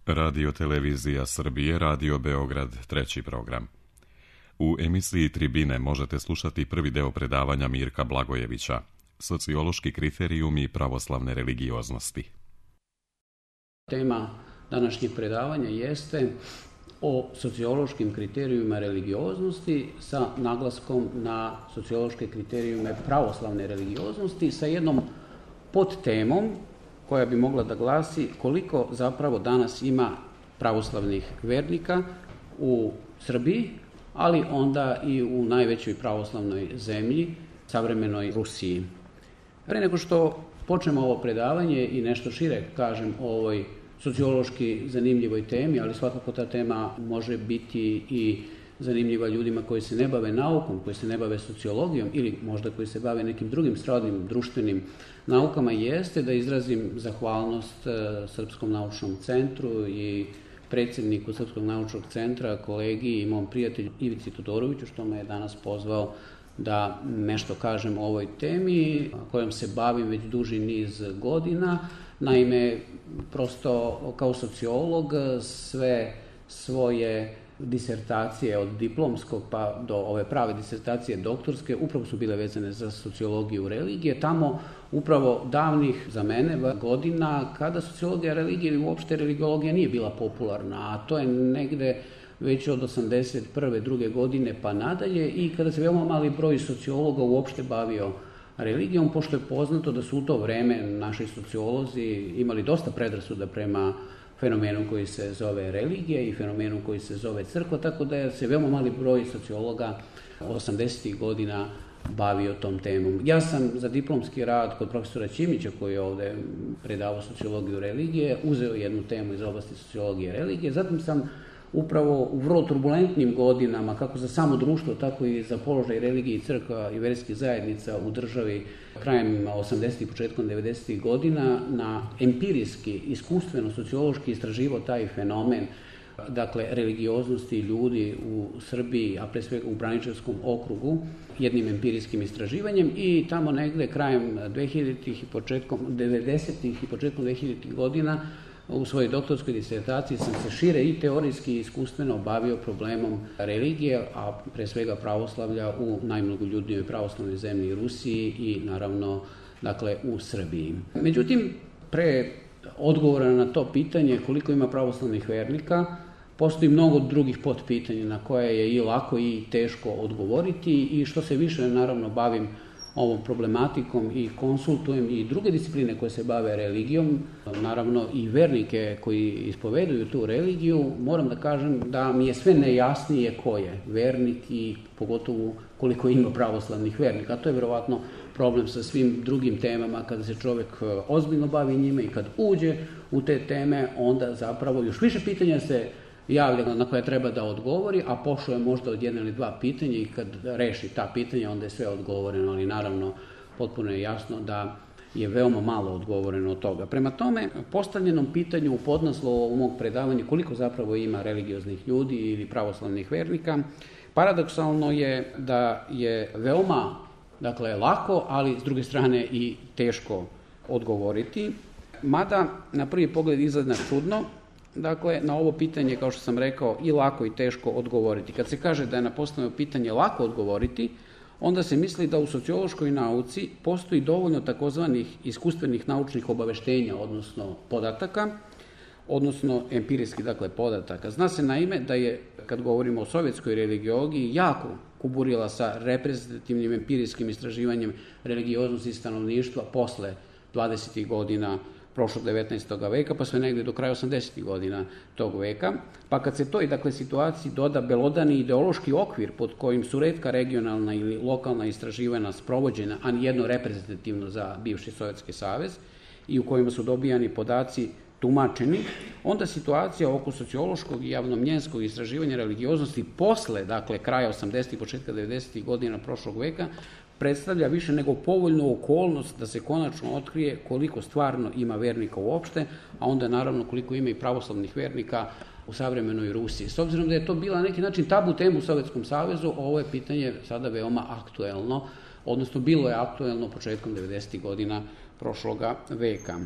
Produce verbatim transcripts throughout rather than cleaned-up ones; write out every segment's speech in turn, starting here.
Radio Televizija Srbije, Radio Beograd, treći program. U emisiji Tribine možete slušati prvi deo predavanja Mirka Blagojevića, Sociološki kriterijumi pravoslavne religioznosti. Tema današnjeg predavanja jeste o sociološkim kriterijumima religioznosti sa naglaskom na sociološke kriterijume pravoslavne religioznosti sa jednom podtemom koja bi mogla da glasi koliko zapravo danas ima pravoslavnih vernika u Srbiji, ali onda i u najvećoj pravoslavnoj zemlji, savremenoj Rusiji. Pre nego što počnemo ovo predavanje i nešto šire kažem o ovoj sociološki zanimljivoj temi, ali svakako ta tema može biti i zanimljiva ljudima koji se ne bave naukom, koji se ne bave sociologijom ili možda koji se bave nekim drugim srodnim društvenim naukama, jeste da izrazim zahvalnost Srpskom naučnom centru i predsjedniku Srpskog naučnog centra, kolegi i mom prijatelju Ivici Todoroviću, što me je danas pozvao da nešto kažem o ovoj temi kojom se bavim već duži niz godina. Naime, prosto kao sociolog sve svoje disertacije od diplomskog pa do ove prave disertacije doktorske upravo su bile vezane za sociologiju religije. Tamo upravo davnih za mene godina kada sociologija religije ili uopšte religiologija nije bila popularna, a to je negde već od osamdeset prve druge godine pa nadalje i kada se veoma mali broj sociologa uopšte bavio religijom, pošto je poznato da su u to vreme naši sociolozi imali dosta predrasuda prema fenomenu koji se zove religija i fenomenu koji se zove crkva, tako da je se veoma mali broj sociologa osamdesetih godina bavio tom temom. Ja sam za diplomski rad kod profesora Ćimića, koji je ovde predavao sociologiju religije, uzeo jednu temu iz oblasti sociologije religije, zatim sam upravo u vrlo turbulentnim godinama, kako za samo društvo, tako i za položaj religije i crkva i verskih zajednica u državi krajem osamdesetih i početkom devedesetih godina, na empirijski, iskustveno, sociološki istraživao taj fenomen, dakle, religioznosti ljudi u Srbiji, a pre svega u Braničevskom okrugu, jednim empirijskim istraživanjem i tamo negde krajem dvehiljaditih i početkom devedesetih i početkom dvehiljaditih godina u svojoj doktorskoj disertaciji sam se šire i teorijski i iskustveno bavio problemom religije, a pre svega pravoslavlja u najmnogoljudnijoj pravoslavnoj zemlji Rusiji i naravno dakle u Srbiji. Međutim, pre odgovora na to pitanje koliko ima pravoslavnih vernika, postoji mnogo drugih potpitanja na koje je i lako i teško odgovoriti i što se više naravno bavim ovom problematikom i konsultujem i druge discipline koje se bave religijom, naravno i vernike koji ispoveduju tu religiju, moram da kažem da mi je sve nejasnije ko je vernik i pogotovo koliko ima pravoslavnih vernika. A to je verovatno problem sa svim drugim temama kada se čovek ozbiljno bavi njime i kad uđe u te teme, onda zapravo još više pitanja se javlja na koje treba da odgovori, a pošao je možda od jedna ili dva pitanja i kad reši ta pitanja, onda je sve odgovoreno, ali naravno potpuno je jasno da je veoma malo odgovoreno od toga. Prema tome, postavljenom pitanju u podnaslovu mog predavanja koliko zapravo ima religioznih ljudi ili pravoslavnih vernika, paradoksalno je da je veoma, dakle, lako, ali s druge strane i teško odgovoriti, mada na prvi pogled izgleda čudno. Dakle, na ovo pitanje, kao što sam rekao, i lako i teško odgovoriti. Kad se kaže da je na postavljeno pitanje lako odgovoriti, onda se misli da u sociološkoj nauci postoji dovoljno takozvanih iskustvenih naučnih obaveštenja, odnosno podataka, odnosno empirijski, dakle, podataka. Zna se naime da je, kad govorimo o sovjetskoj religiologiji, jako kuburila sa reprezentativnim empirijskim istraživanjem religioznosti stanovništva posle dvadesetih godina prošlog devetnaestog veka, pa sve negde do kraja osamdesetih godina tog veka. Pa kad se toj, dakle, situaciji doda belodani ideološki okvir pod kojim su retka regionalna ili lokalna istraživanja sprovođena, a nijedno reprezentativno za bivši Sovjetski savez, i u kojima su dobijani podaci tumačeni, onda situacija oko sociološkog i javnomnjenskog istraživanja religioznosti posle, dakle, kraja osamdesetih i početka devedesetih godina prošlog veka, predstavlja više nego povoljnu okolnost da se konačno otkrije koliko stvarno ima vernika uopšte, a onda naravno koliko ima i pravoslavnih vernika u savremenoj Rusiji. S obzirom da je to bila na neki način tabu tema u Sovjetskom savezu, ovo je pitanje sada veoma aktuelno, odnosno bilo je aktuelno početkom devedesetih godina prošloga veka.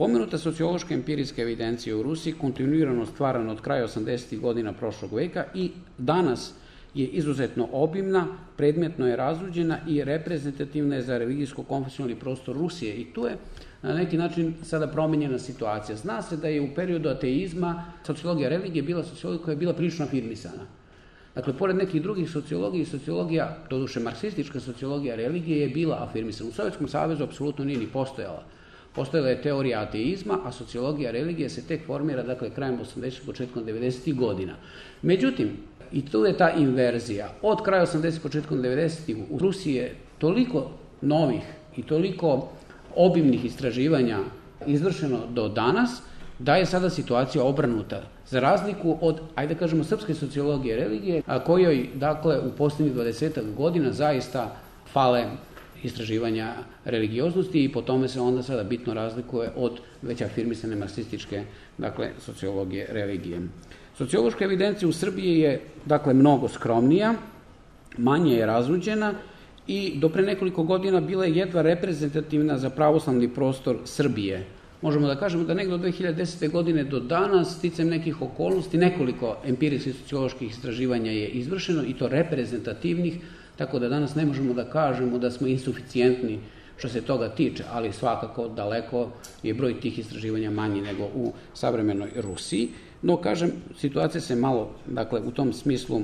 Pomenuta sociološka empirijska evidencija u Rusiji kontinuirano stvarana od kraja osamdesetih godina prošlog veka i danas je izuzetno obimna, predmetno je razruđena i reprezentativna je za religijsko-konfesionalni prostor Rusije. I tu je na neki način sada promenjena situacija. Zna se da je u periodu ateizma sociologija religije bila sociologija koja je bila prilično afirmisana. Dakle, pored nekih drugih sociologija i sociologija, doduše marksistička sociologija religije je bila afirmisana. U Sovjetskom savezu apsolutno nije ni postojala. Postojala je teorija ateizma, a sociologija religije se tek formira, dakle, krajem osamdesetih, početkom devedesetih godina. Međutim, i tu je ta inverzija. Od kraja osamdesetih, početkom devedesetih u Rusiji je toliko novih i toliko obimnih istraživanja izvršeno do danas, da je sada situacija obrnuta. Za razliku od, ajde kažemo, srpske sociologije religije, a kojoj, dakle, u posljednjih dvadesetak godina zaista fale istraživanja religioznosti i po tome se onda sada bitno razlikuje od već afirmisane marksističke, dakle, sociologije religije. Sociološka evidencija u Srbiji je, dakle, mnogo skromnija, manje je razruđena i do pre nekoliko godina bila je jedva reprezentativna za pravoslavni prostor Srbije. Možemo da kažemo da negde od dve hiljade desete. godine do danas, sticajem nekih okolnosti, nekoliko empirijskih socioloških istraživanja je izvršeno i to reprezentativnih, tako da danas ne možemo da kažemo da smo insuficijentni što se toga tiče, ali svakako daleko je broj tih istraživanja manji nego u savremenoj Rusiji. No, kažem, situacija se malo, dakle, u tom smislu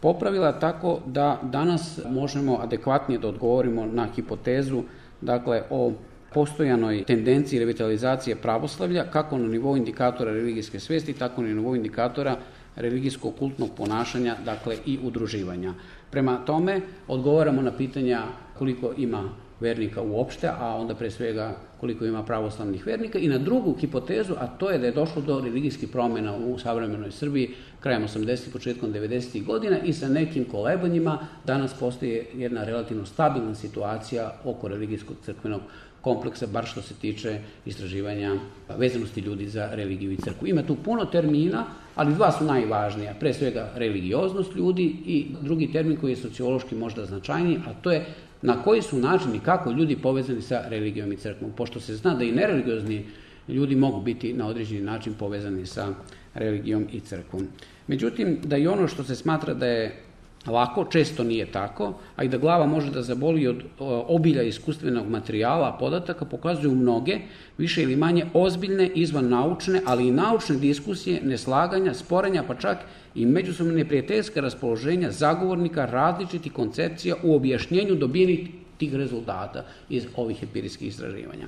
popravila tako da danas možemo adekvatnije da odgovorimo na hipotezu, dakle, o postojanoj tendenciji revitalizacije pravoslavlja, kako na nivou indikatora religijske svesti, tako na nivou indikatora religijsko-kultnog ponašanja, dakle, i udruživanja. Prema tome, odgovaramo na pitanja koliko ima vernika uopšte, a onda pre svega koliko ima pravoslavnih vernika, i na drugu hipotezu, a to je da je došlo do religijskih promjena u savremenoj Srbiji krajem osamdesetih, početkom devedesetih godina i sa nekim kolebanjima danas postoji jedna relativno stabilna situacija oko religijskog crkvenog kompleksa, bar što se tiče istraživanja vezanosti ljudi za religiju i crkvu. Ima tu puno termina, ali dva su najvažnija. Pre svega religioznost ljudi i drugi termin koji je sociološki možda značajniji, a to je na koji su načini, kako ljudi povezani sa religijom i crkvom. Pošto se zna da i nereligiozni ljudi mogu biti na određeni način povezani sa religijom i crkvom. Međutim, da i ono što se smatra da je lako, često nije tako, a i da glava može da zaboli od obilja iskustvenog materijala, podataka, pokazuju mnoge, više ili manje ozbiljne, izvan naučne, ali i naučne diskusije, neslaganja, sporenja, pa čak i međusobno neprijateljska raspoloženja zagovornika različitih koncepcija u objašnjenju dobijenih tih rezultata iz ovih empirijskih istraživanja.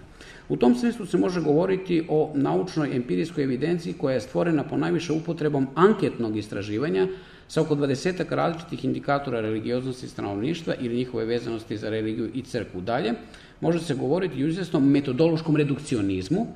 U tom smislu se može govoriti o naučnoj empirijskoj evidenciji koja je stvorena po najviše upotrebom anketnog istraživanja sa oko dvadesetak različitih indikatora religioznosti stanovništva ili njihove vezanosti za religiju i crkvu. Dalje, može se govoriti i o izvesnom metodološkom redukcionizmu,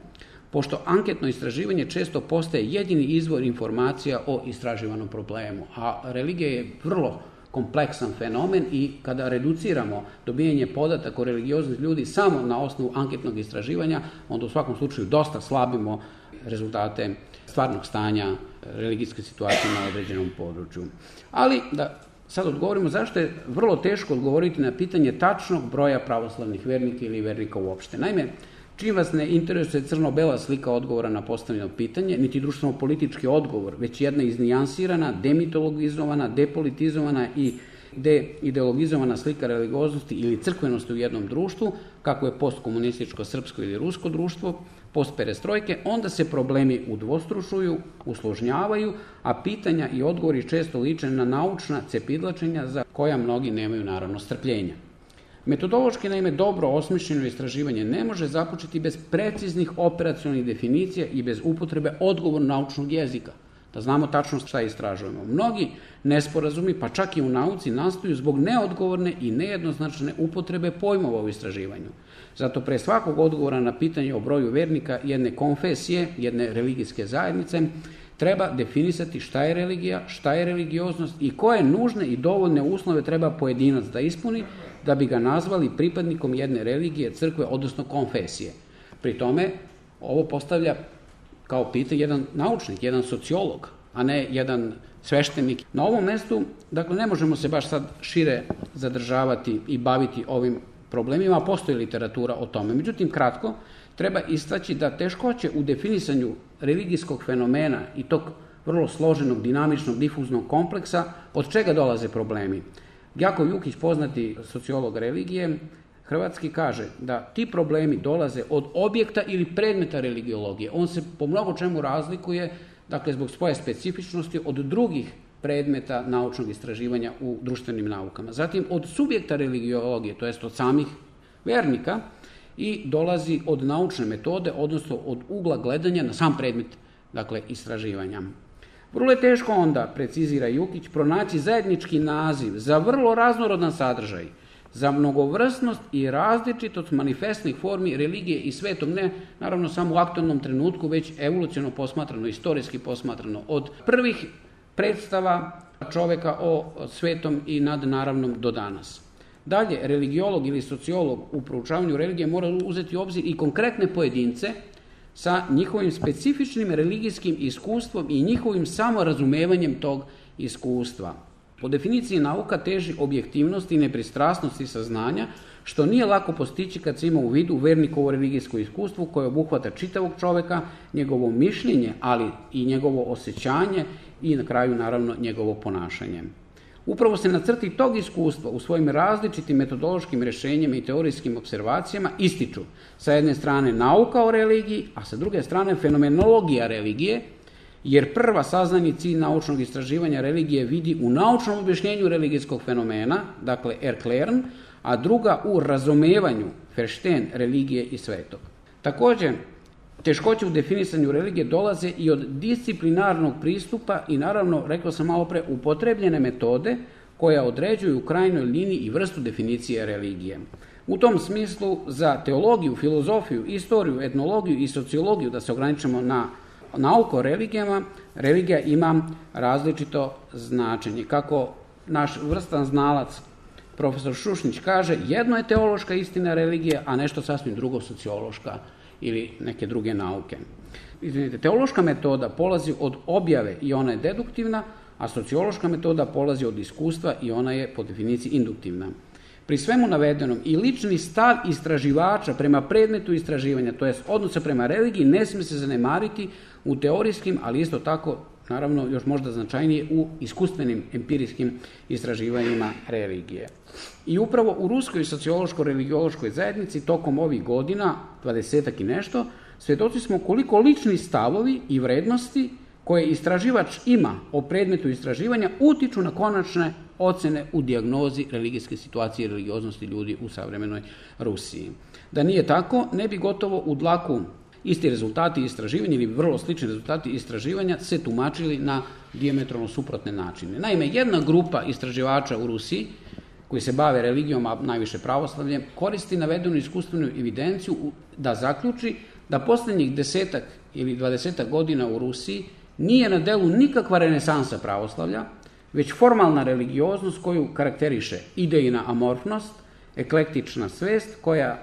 pošto anketno istraživanje često postaje jedini izvor informacija o istraživanom problemu, a religija je vrlo kompleksan fenomen i kada reduciramo dobijanje podataka o religioznih ljudi samo na osnovu anketnog istraživanja, onda u svakom slučaju dosta slabimo rezultate stvarnog stanja religijske situacije na određenom području. Ali da sad odgovorimo zašto je vrlo teško odgovoriti na pitanje tačnog broja pravoslavnih vernika ili vernika uopšte. Naime, čim vas ne interesuje crno-bela slika odgovora na postavljeno pitanje, niti društveno-politički odgovor, već jedna iznijansirana, demitologizovana, depolitizovana i deideologizovana slika religioznosti ili crkvenosti u jednom društvu, kako je postkomunističko, srpsko ili rusko društvo, postperestrojke, onda se problemi udvostručuju, usložnjavaju, a pitanja i odgovori često liče na naučna cepidlačenja za koja mnogi nemaju naravno strpljenja. Metodološki, naime, dobro osmišljeno istraživanje ne može započeti bez preciznih operacionalnih definicija i bez upotrebe odgovornog naučnog jezika, da znamo tačno šta istražujemo. Mnogi nesporazumi, pa čak i u nauci, nastaju zbog neodgovorne i nejednoznačne upotrebe pojmova u istraživanju. Zato pre svakog odgovora na pitanje o broju vernika jedne konfesije, jedne religijske zajednice, treba definisati šta je religija, šta je religioznost i koje nužne i dovoljne uslove treba pojedinac da ispuni da bi ga nazvali pripadnikom jedne religije, crkve, odnosno konfesije. Pri tome, ovo postavlja kao pitanje jedan naučnik, jedan sociolog, a ne jedan sveštenik. Na ovom mestu, dakle, ne možemo se baš sad šire zadržavati i baviti ovim problemima, postoji literatura o tome. Međutim, kratko, treba istaći da teškoće u definisanju religijskog fenomena i tog vrlo složenog, dinamičnog, difuznog kompleksa, od čega dolaze problemi. Jakov Jukić, poznati sociolog religije, hrvatski, kaže da ti problemi dolaze od objekta ili predmeta religiologije. On se po mnogo čemu razlikuje, dakle, zbog svoje specifičnosti od drugih predmeta naučnog istraživanja u društvenim naukama. Zatim od subjekta religiologije, to jest od samih vernika, i dolazi od naučne metode, odnosno od ugla gledanja na sam predmet, dakle, istraživanja. Vrlo je teško onda, precizira Jukić, pronaći zajednički naziv za vrlo raznorodan sadržaj, za mnogovrstnost i različitost manifestnih formi religije i svetom, ne naravno samo u aktualnom trenutku, već evoluciono posmatrano, istorijski posmatrano, od prvih predstava čoveka o svetom i nadnaravnom do danas. Dalje, religiolog ili sociolog u proučavanju religije mora uzeti u obzir i konkretne pojedince sa njihovim specifičnim religijskim iskustvom i njihovim samorazumevanjem tog iskustva. Po definiciji nauka teži objektivnosti i nepristrasnosti saznanja, što nije lako postići kad se ima u vidu vernikovo religijsko iskustvo koje obuhvata čitavog čoveka, njegovo mišljenje, ali i njegovo osjećanje i na kraju naravno njegovo ponašanje. Upravo se na crti tog iskustva u svojim različitim metodološkim rješenjima i teorijskim observacijama ističu sa jedne strane nauka o religiji, a sa druge strane fenomenologija religije, jer prva saznani cilj naučnog istraživanja religije vidi u naučnom objašnjenju religijskog fenomena, dakle erklären, a druga u razumevanju, verstehen, religije i svetog. Također, teškoće u definisanju religije dolaze i od disciplinarnog pristupa i naravno, rekao sam malo pre, upotrebljene metode koja određuju u krajnjoj liniji i vrstu definicije religije. U tom smislu za teologiju, filozofiju, istoriju, etnologiju i sociologiju, da se ograničimo na nauku o religijama, religija ima različito značenje. Kako naš vrstan znalac, profesor Šušnić, kaže, jedno je teološka istina religije, a nešto sasvim drugo sociološka ili neke druge nauke. Izvinite, teološka metoda polazi od objave i ona je deduktivna, a sociološka metoda polazi od iskustva i ona je po definiciji induktivna. Pri svemu navedenom i lični stav istraživača prema predmetu istraživanja, to jest odnose prema religiji, ne smije se zanemariti u teorijskim, ali isto tako, naravno, još možda značajnije u iskustvenim, empirijskim istraživanjima religije. I upravo u ruskoj sociološko-religiološkoj zajednici tokom ovih godina, dvadesetak i nešto, svjedoci smo koliko lični stavovi i vrednosti koje istraživač ima o predmetu istraživanja utiču na konačne ocjene u dijagnozi religijske situacije i religioznosti ljudi u savremenoj Rusiji. Da nije tako, ne bi gotovo u dlaku isti rezultati istraživanja ili vrlo slični rezultati istraživanja se tumačili na dijametralno suprotne načine. Naime, jedna grupa istraživača u Rusiji koji se bave religijom, a najviše pravoslavljem, koristi navedenu iskustvenu evidenciju da zaključi da posljednjih desetak ili dvadesetak godina u Rusiji nije na delu nikakva renesansa pravoslavlja, već formalna religioznost koju karakteriše idejna amorfnost, eklektična svest koja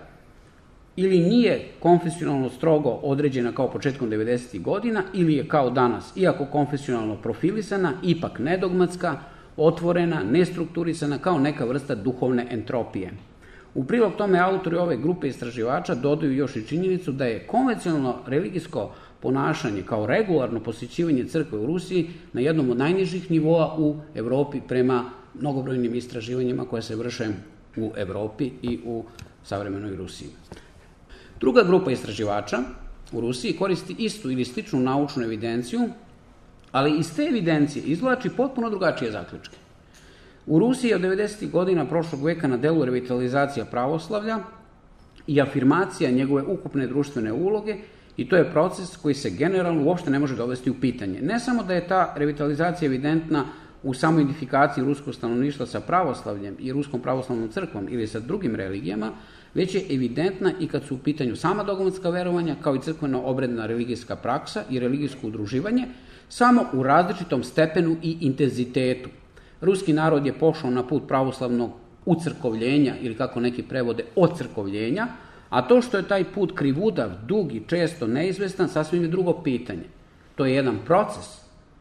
ili nije konfesionalno strogo određena kao početkom devedesetih godina ili je kao danas, iako konfesionalno profilisana, ipak nedogmatska, otvorena, nestrukturisana kao neka vrsta duhovne entropije. U prilog tome autori ove grupe istraživača dodaju još i činjenicu da je konvencionalno religijsko ponašanje kao regularno posjećivanje crkve u Rusiji na jednom od najnižih nivoa u Europi prema mnogobrojnim istraživanjima koje se vrše u Europi i u savremenoj Rusiji. Druga grupa istraživača u Rusiji koristi istu ili sličnu naučnu evidenciju, ali iz te evidencije izvlači potpuno drugačije zaključke. U Rusiji je od devedesetih godina prošlog veka na delu revitalizacija pravoslavlja i afirmacija njegove ukupne društvene uloge i to je proces koji se generalno uopšte ne može dovesti u pitanje. Ne samo da je ta revitalizacija evidentna u samoj identifikaciji ruskog stanovništva sa pravoslavljem i ruskom pravoslavnom crkvom ili sa drugim religijama, već je evidentna i kad su u pitanju sama dogmatska verovanja, kao i crkveno-obredna religijska praksa i religijsko udruživanje, samo u različitom stepenu i intenzitetu. Ruski narod je pošao na put pravoslavnog ucrkovljenja ili kako neki prevode ocrkovljenja, a to što je taj put krivudav, dug i često neizvestan, sasvim je drugo pitanje. To je jedan proces,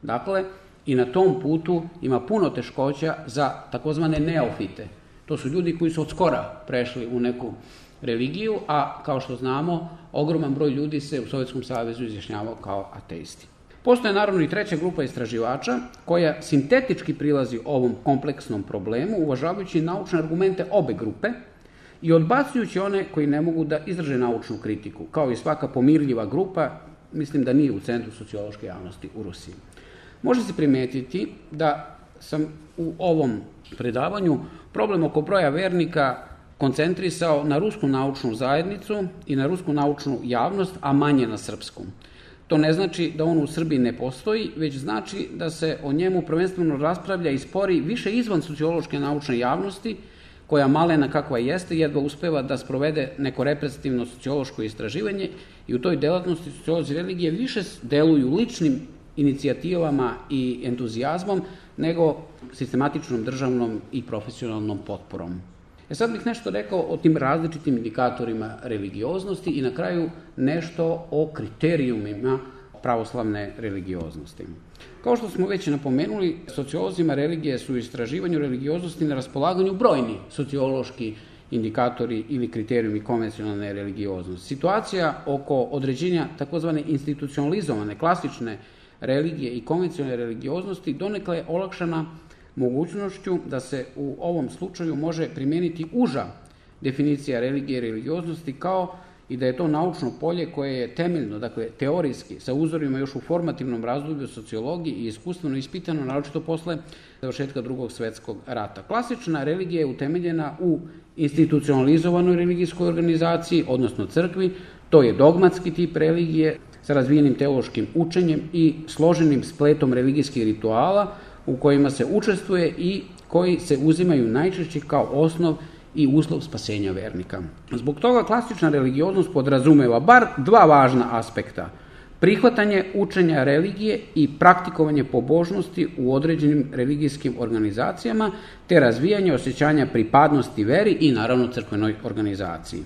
dakle, i na tom putu ima puno teškoća za takozvane neofite. To su ljudi koji su od skora prešli u neku religiju, a kao što znamo, ogroman broj ljudi se u Sovjetskom savezu izjašnjavao kao ateisti. Postoje naravno i treća grupa istraživača koja sintetički prilazi ovom kompleksnom problemu, uvažavajući naučne argumente obe grupe i odbacujući one koji ne mogu da izraže naučnu kritiku. Kao i svaka pomirljiva grupa, mislim da nije u centru sociološke javnosti u Rusiji. Može se primetiti da sam u ovom predavanju problem oko broja vernika koncentrisao na rusku naučnu zajednicu i na rusku naučnu javnost, a manje na srpsku. To ne znači da on u Srbiji ne postoji, već znači da se o njemu prvenstveno raspravlja i spori više izvan sociološke naučne javnosti, koja malena kakva jeste, jedva uspeva da sprovede neko reprezentativno sociološko istraživanje i u toj delatnosti sociolozi religije više deluju ličnim inicijativama i entuzijazmom nego sistematičnom državnom i profesionalnom potporom. E sad bih nešto rekao o tim različitim indikatorima religioznosti i na kraju nešto o kriterijumima pravoslavne religioznosti. Kao što smo već napomenuli, sociolozima religije su u istraživanju religioznosti na raspolaganju brojni sociološki indikatori ili kriterijumi konvencionalne religioznosti. Situacija oko određenja takozvane institucionalizovane, klasične religije i konvencionalne religioznosti donekle je olakšana mogućnošću da se u ovom slučaju može primijeniti uža definicija religije i religioznosti, kao i da je to naučno polje koje je temeljno, dakle teorijski, sa uzorima još u formativnom razdoblju sociologiji i iskustveno ispitano, naročito posle završetka Drugog svjetskog rata. Klasična religija je utemeljena u institucionalizovanoj religijskoj organizaciji, odnosno crkvi. To je dogmatski tip religije sa razvijenim teološkim učenjem i složenim spletom religijskih rituala u kojima se učestvuje i koji se uzimaju najčešće kao osnov i uslov spasenja vernika. Zbog toga klasična religioznost podrazumeva bar dva važna aspekta: prihvatanje učenja religije i praktikovanje pobožnosti u određenim religijskim organizacijama, te razvijanje osjećanja pripadnosti veri i naravno crkvenoj organizaciji.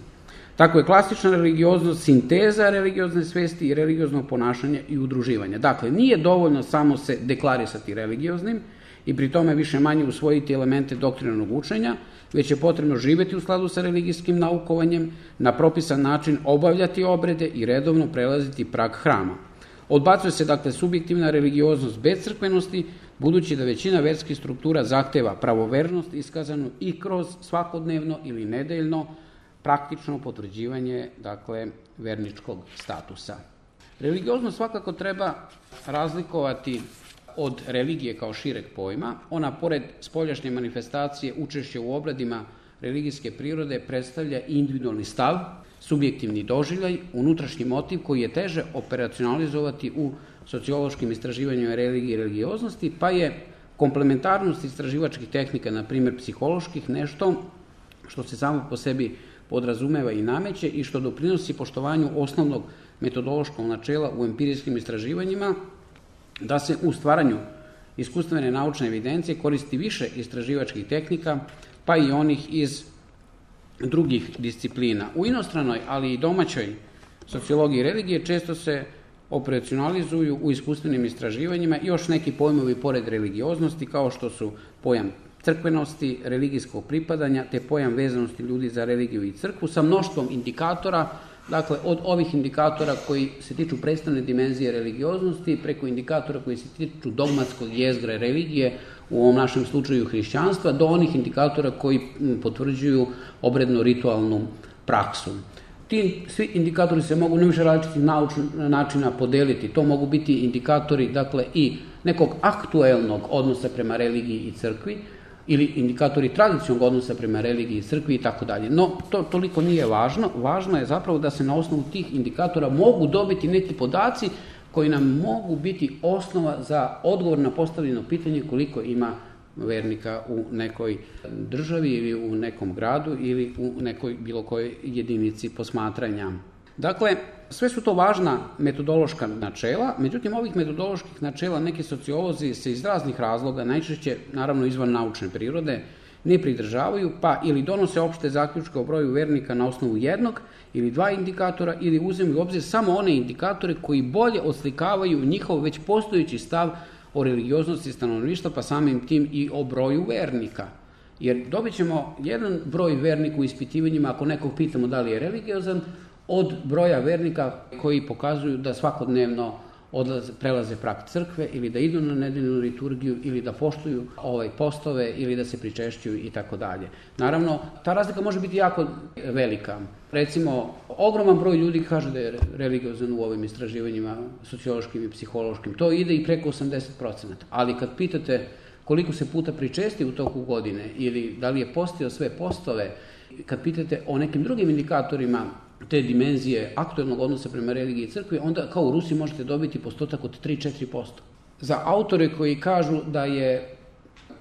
Tako je klasična religioznost sinteza religiozne svesti i religioznog ponašanja i udruživanja. Dakle, nije dovoljno samo se deklarisati religioznim i pri tome više manje usvojiti elemente doktrinarnog učenja, već je potrebno živjeti u skladu sa religijskim naukovanjem, na propisan način obavljati obrede i redovno prelaziti prag hrama. Odbacuje se dakle subjektivna religioznost bez crkvenosti, budući da većina verskih struktura zahteva pravovernost iskazanu i kroz svakodnevno ili nedeljno praktično potvrđivanje dakle verničkog statusa. Religioznost svakako treba razlikovati od religije kao šireg pojma. Ona, pored spoljašnje manifestacije učešća u obradima religijske prirode, predstavlja individualni stav, subjektivni doživljaj, unutrašnji motiv koji je teže operacionalizovati u sociološkim istraživanjima religije i religioznosti, pa je komplementarnost istraživačkih tehnika, na primjer psiholoških, nešto što se samo po sebi podrazumeva i nameće i što doprinosi poštovanju osnovnog metodološkog načela u empirijskim istraživanjima, da se u stvaranju iskustvene naučne evidencije koristi više istraživačkih tehnika, pa i onih iz drugih disciplina. U inostranoj, ali i domaćoj sociologiji religije često se operacionalizuju u iskustvenim istraživanjima još neki pojmovi pored religioznosti, kao što su pojam crkvenosti, religijskog pripadanja, te pojam vezanosti ljudi za religiju i crkvu, sa mnoštvom indikatora, dakle od ovih indikatora koji se tiču predstavne dimenzije religioznosti, preko indikatora koji se tiču dogmatskog jezgra religije, u ovom našem slučaju hrišćanstva, do onih indikatora koji potvrđuju obredno-ritualnu praksu. Ti svi indikatori se mogu na više različitih načina podeliti. To mogu biti indikatori dakle i nekog aktuelnog odnosa prema religiji i crkvi, ili indikatori tradicionalnog odnosa prema religiji i crkvi i tako dalje. No, to toliko nije važno. Važno je zapravo da se na osnovu tih indikatora mogu dobiti neki podaci koji nam mogu biti osnova za odgovor na postavljeno pitanje koliko ima vernika u nekoj državi ili u nekom gradu ili u nekoj bilo kojoj jedinici posmatranja. Dakle, sve su to važna metodološka načela, međutim ovih metodoloških načela neki sociolozi se iz raznih razloga, najčešće naravno izvan naučne prirode, ne pridržavaju, pa ili donose opšte zaključke o broju vernika na osnovu jednog ili dva indikatora, ili uzimaju u obzir samo one indikatore koji bolje oslikavaju njihov već postojeći stav o religioznosti stanovništva, pa samim tim i o broju vernika. Jer dobit ćemo jedan broj vernika u ispitivanjima, ako nekog pitamo da li je religiozan, od broja vernika koji pokazuju da svakodnevno odlaze, prelaze prag crkve ili da idu na nedeljnu liturgiju ili da poštuju ovaj postove ili da se pričešćuju i tako dalje. Naravno, ta razlika može biti jako velika. Recimo, ogroman broj ljudi kaže da je religiozan u ovim istraživanjima sociološkim i psihološkim. To ide i preko osamdeset procenata. Ali kad pitate koliko se puta pričesti u toku godine ili da li je postio sve postove, kad pitate o nekim drugim indikatorima te dimenzije aktuelnog odnosa prema religiji i crkvi, onda kao u Rusiji možete dobiti postotak od tri do četiri posto. Za autore koji kažu da je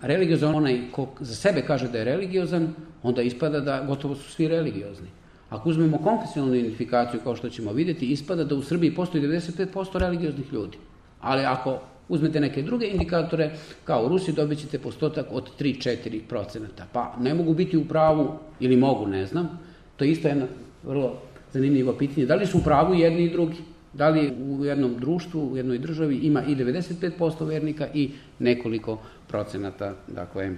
religiozan onaj ko za sebe kaže da je religiozan, onda ispada da gotovo su svi religiozni. Ako uzmemo konfesionalnu identifikaciju, kao što ćemo vidjeti, ispada da u Srbiji postoji devedeset pet posto religioznih ljudi. Ali ako uzmete neke druge indikatore, kao u Rusiji, dobit ćete postotak od tri do četiri procenata. Pa ne mogu biti u pravu, ili mogu, ne znam. To je isto jedno vrlo zanimljivo pitanje. Da li su u pravu jedni i drugi? Da li u jednom društvu, u jednoj državi ima i devedeset pet posto vernika i nekoliko procenata, dakle,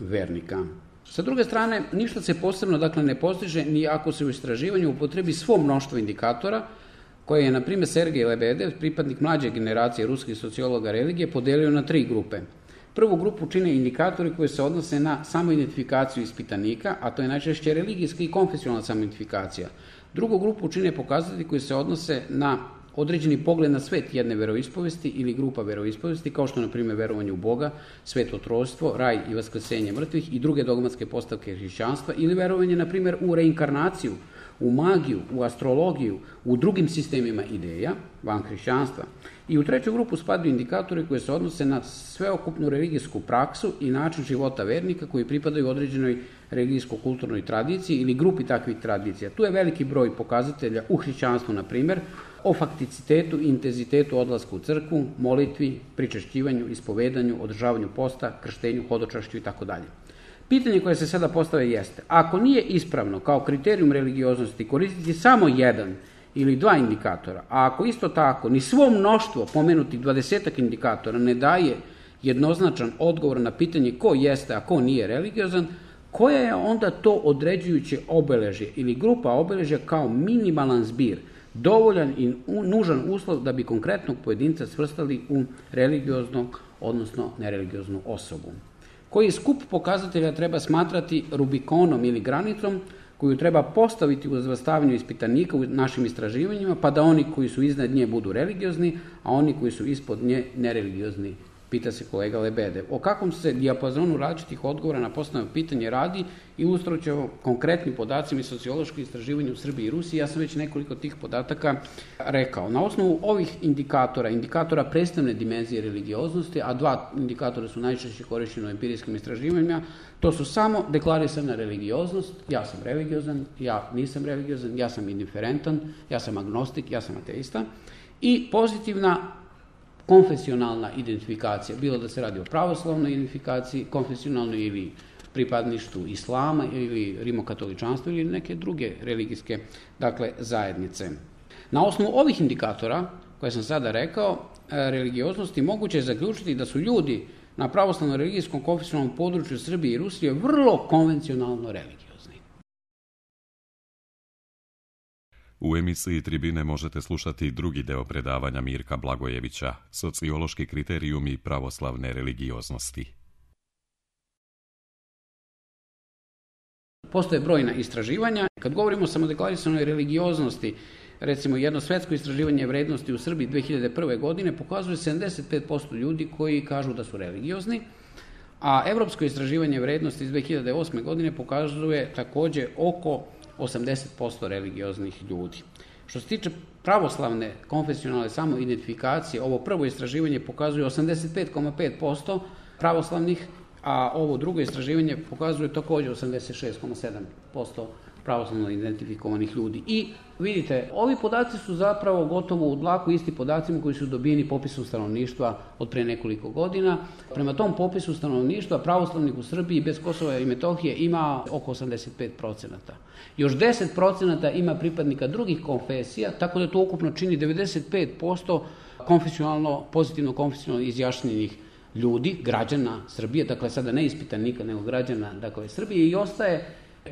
vernika. Sa druge strane, ništa se posebno, dakle, ne postiže ni ako se u istraživanju upotrebi svo mnoštvo indikatora, koje je, na primjer, Sergej Lebedev, pripadnik mlađe generacije ruskih sociologa religije, podelio na tri grupe. Prvu grupu čine indikatori koji se odnose na samoidentifikaciju ispitanika, a to je najčešće religijska i konfesionalna samoidentifikacija. Drugu grupu čine pokazatelji koji se odnose na određeni pogled na svet jedne veroispovesti ili grupa veroispovesti, kao što, na primjer, verovanje u Boga, sveto trojstvo, raj i vaskresenje mrtvih i druge dogmatske postavke hrišćanstva, ili verovanje, na primjer, u reinkarnaciju, u magiju, u astrologiju, u drugim sistemima ideja, van hrišćanstva. I u treću grupu spadaju indikatori koji se odnose na sveokupnu religijsku praksu i način života vernika koji pripadaju određenoj religijsko-kulturnoj tradiciji ili grupi takvih tradicija. Tu je veliki broj pokazatelja u hrišćanstvu, na primjer, o fakticitetu i intenzitetu odlaska u crkvu, molitvi, pričešćivanju, ispovedanju, održavanju posta, krštenju, hodočašću i tako dalje. Pitanje koje se sada postave jeste, ako nije ispravno kao kriterijum religioznosti koristiti samo jedan ili dva indikatora, a ako isto tako ni svo mnoštvo pomenutih dvadesetak indikatora ne daje jednoznačan odgovor na pitanje ko jeste, a ko nije religiozan, koja je onda to određujuće obeležje ili grupa obeležja kao minimalan zbir, dovoljan i nužan uslov da bi konkretnog pojedinca svrstali u religioznog, odnosno nereligioznu osobu. Koji skup pokazatelja treba smatrati Rubikonom ili granicom koju treba postaviti u razvrstavanju ispitanika u našim istraživanjima, pa da oni koji su iznad nje budu religiozni, a oni koji su ispod nje nereligiozni, pita se kolega Lebedev. O kakvom se dijapazonu različitih odgovora na postavljeno pitanje radi, ilustrujući konkretnim podacima i socioloških istraživanja u Srbiji i Rusiji. Ja sam već nekoliko tih podataka rekao. Na osnovu ovih indikatora, indikatora predstavne dimenzije religioznosti, a dva indikatora su najčešće korišćeni u empirijskim istraživanjima, to su samo deklarisana religioznost, ja sam religiozan, ja nisam religiozan, ja sam indiferentan, ja sam agnostik, ja sam ateista, i pozitivna konfesionalna identifikacija, bilo da se radi o pravoslavnoj identifikaciji, konfesionalnoj ili pripadništvu islama ili rimokatoličanstva ili neke druge religijske, dakle, zajednice. Na osnovu ovih indikatora, koje sam sada rekao, religioznosti, moguće je zaključiti da su ljudi na pravoslavnom religijskom konfesionalnom području Srbije i Rusije vrlo konvencionalno religiozni. U emisiji Tribine možete slušati drugi deo predavanja Mirka Blagojevića, sociološki kriterijumi pravoslavne religioznosti. Postoje brojna istraživanja. Kad govorimo o samodeklarisanoj religioznosti, recimo jedno svetsko istraživanje vrednosti u Srbiji dve hiljade prve. godine pokazuje sedamdeset pet posto ljudi koji kažu da su religiozni, a evropsko istraživanje vrednosti iz dve hiljade osme. godine pokazuje takođe oko osamdeset posto religioznih ljudi. Što se tiče pravoslavne konfesionalne samoidentifikacije, ovo prvo istraživanje pokazuje osamdeset pet zarez pet posto pravoslavnih, a ovo drugo istraživanje pokazuje takođe osamdeset šest zarez sedam posto pravoslavno identifikovanih ljudi. I vidite, ovi podaci su zapravo gotovo u dlaku isti podacima koji su dobijeni popisom stanovništva od pre nekoliko godina. Prema tom popisu stanovništva pravoslavnih u Srbiji bez Kosova i Metohije ima oko osamdeset pet procenata. Još deset procenata ima pripadnika drugih konfesija, tako da to ukupno čini devedeset pet posto konfesionalno, pozitivno konfesionalno izjašnjenih ljudi, građana Srbije, dakle sada ne ispitanika, nego građana dakle, Srbije, i ostaje